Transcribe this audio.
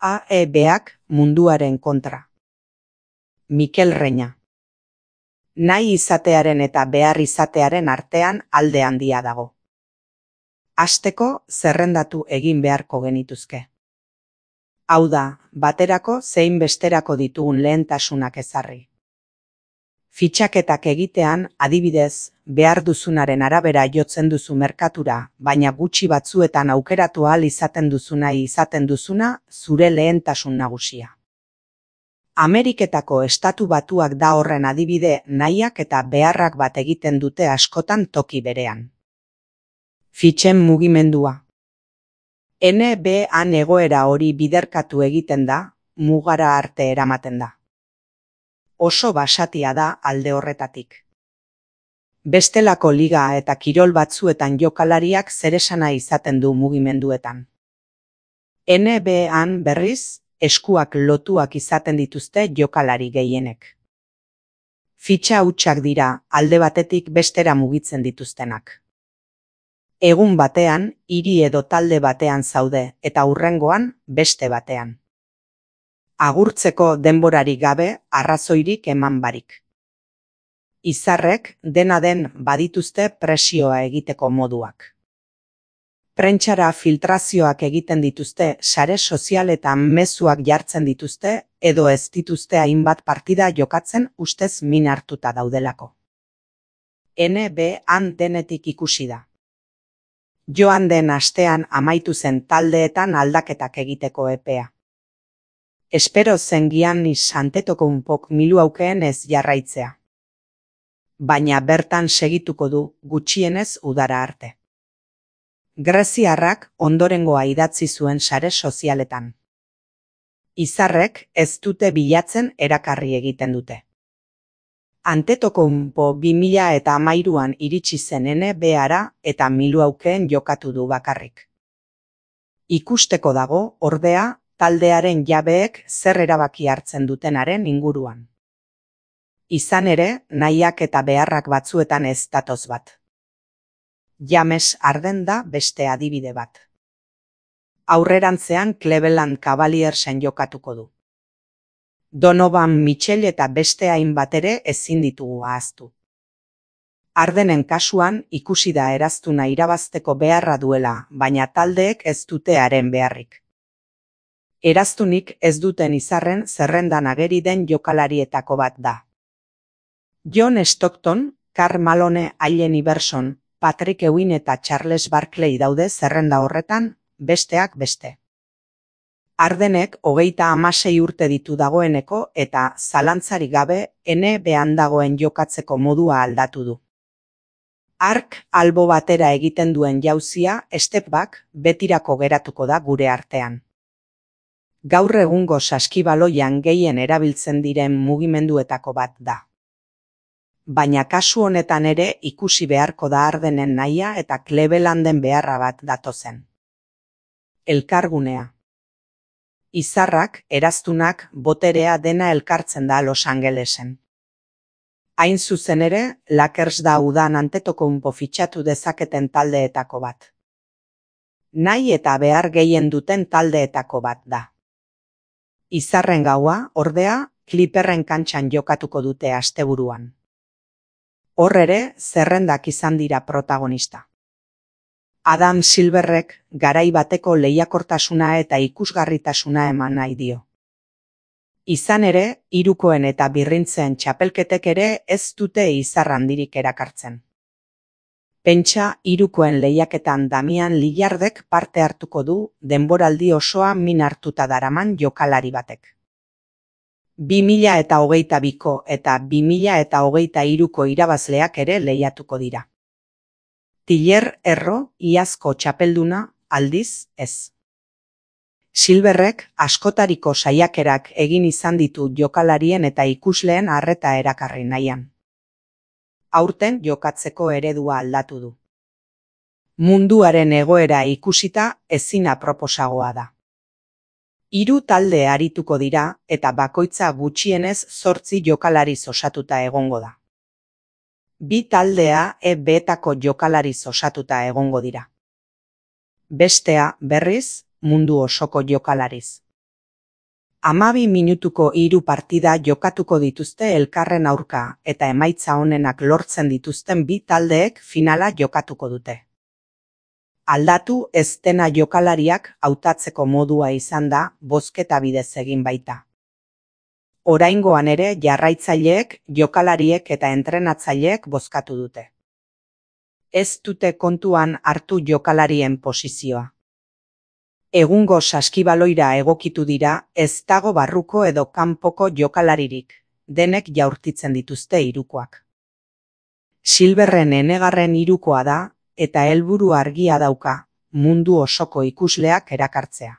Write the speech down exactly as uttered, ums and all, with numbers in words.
A E Bak munduaren kontra. Mikel Reña. Nahi izatearen eta behar izatearen artean alde handia dago. Hasteko zerrendatu egin beharko genituzke. Hau da, baterako zein besterako ditugun lehentasunak ezarri. Fitxaketak egitean, adibidez, behar duzunaren arabera jotzen duzu merkatura, baina gutxi batzuetan aukeratu ahal izaten duzuna izaten duzuna zure lehentasun nagusia. Ameriketako Estatu Batuak da horren adibide, nahiak eta beharrak bat egiten dute askotan toki berean. Fitxen mugimendua. N B an egoera hori biderkatu egiten da, mugara arte eramaten da. Oso basatia da alde horretatik. Bestelako liga eta kirol batzuetan jokalariak zeresana izaten du mugimenduetan. N B an berriz, eskuak lotuak izaten dituzte jokalari gehienek. Fitxa hutsak dira, alde batetik bestera mugitzen dituztenak. Egun batean, hiri edo talde batean zaude, eta hurrengoan, beste batean. Agurtzeko denborarik gabe, arrazoirik eman barik. Izarrek, dena den badituzte presioa egiteko moduak. Prentsara filtrazioak egiten dituzte, sare sozialetan mezuak jartzen dituzte, edo ez dituzte hainbat partida jokatzen ustez min hartuta daudelako. N B an denetik ikusi da. Joan den astean amaitu zen taldeetan aldaketak egiteko epea. Espero zen Giannis Antetokounmpok miluaukeen ez jarraitzea. Baina bertan segituko du, gutxienez udara arte. Greziarrak ondorengoa idatzi zuen sare sozialetan. Izarrek ez dute bilatzen erakarri egiten dute. Antetokounmpo bi mila hamairuan iritsi zen N B ara eta miluaukeen jokatu du bakarrik. Ikusteko dago, ordea, taldearen jabeek zer erabaki hartzen dutenaren inguruan. Izan ere, nahiak eta beharrak batzuetan ez datoz bat. James Harden da beste adibide bat. Aurrerantzean Cleveland Cavaliersen jokatuko du. Donovan Mitchell eta beste hainbat ere ezin ditugu ahaztu. Hardenen kasuan ikusi da eraztuna irabazteko beharra duela, baina taldeek ez dute haren beharrik. Eraztunik ez duten izarren zerrendan ageri den jokalarietako bat da. John Stockton, Karl Malone, Allen Iverson, Patrick Ewing eta Charles Barkley daude zerrenda horretan, besteak beste. Hardenek hogeita hamasei urte ditu dagoeneko eta zalantzarik gabe N B an dagoen jokatzeko modua aldatu du. Hark albo batera egiten duen jauzia, step back, betirako geratuko da gure artean. Gaur egungo saskibaloian gehien erabiltzen diren mugimenduetako bat da. Baina kasu honetan ere ikusi beharko da Hardenen nahia eta Clevelanden beharra bat datozen. Elkargunea. Izarrak, eraztunak, boterea dena elkartzen da Los Angelesen. Hain zuzen ere, Lakers da udan Antetokounmpo fitxatu dezaketen taldeetako bat. Nahi eta behar gehien duten taldeetako bat da. Izarren gaua, ordea, Clipperren kantxan jokatuko dute asteburuan. Hor ere, zerrendak izan dira protagonista. Adam Silverrek garai bateko lehiakortasuna eta ikusgarritasuna eman nahi dio. Izan ere, hirukoen eta birrintzen txapelketek ere ez dute izar handirik erakartzen. Pentsa hirukoen lehiaketan Damian Lillardek parte hartuko du denboraldi osoa min hartuta daraman jokalari batek. bi mila eta hogeita biko eta bi mila eta hogeita hiruko irabazleak ere lehiatuko dira. Tiller Erro, iazko txapelduna, aldiz ez. Silverrek askotariko saiakerak egin izan ditu jokalarien eta ikusleen arreta erakarri nahian. Aurten jokatzeko eredua aldatu du. Munduaren egoera ikusita ezin aproposagoa da. Hiru talde arituko dira eta bakoitza gutxienez zortzi jokalariz osatuta egongo da. Bi taldea E Betako jokalariz osatuta egongo dira. Bestea, berriz, mundu osoko jokalariz. Hamabi minutuko hiru partida jokatuko dituzte elkarren aurka eta emaitza onenak lortzen dituzten bi taldeek finala jokatuko dute. Aldatu ez dena jokalariak hautatzeko modua izan da bozketa bidez egin baita. Oraingoan ere jarraitzaileek, jokalariek eta entrenatzaileek bozkatu dute. Ez dute kontuan hartu jokalarien posizioa. Egungo saskibaloira egokitu dira, ez dago barruko edo kanpoko jokalaririk, denek jaurtitzen dituzte hirukoak. Silverren enegarren hirukoa da, eta helburu argia dauka, mundu osoko ikusleak erakartzea.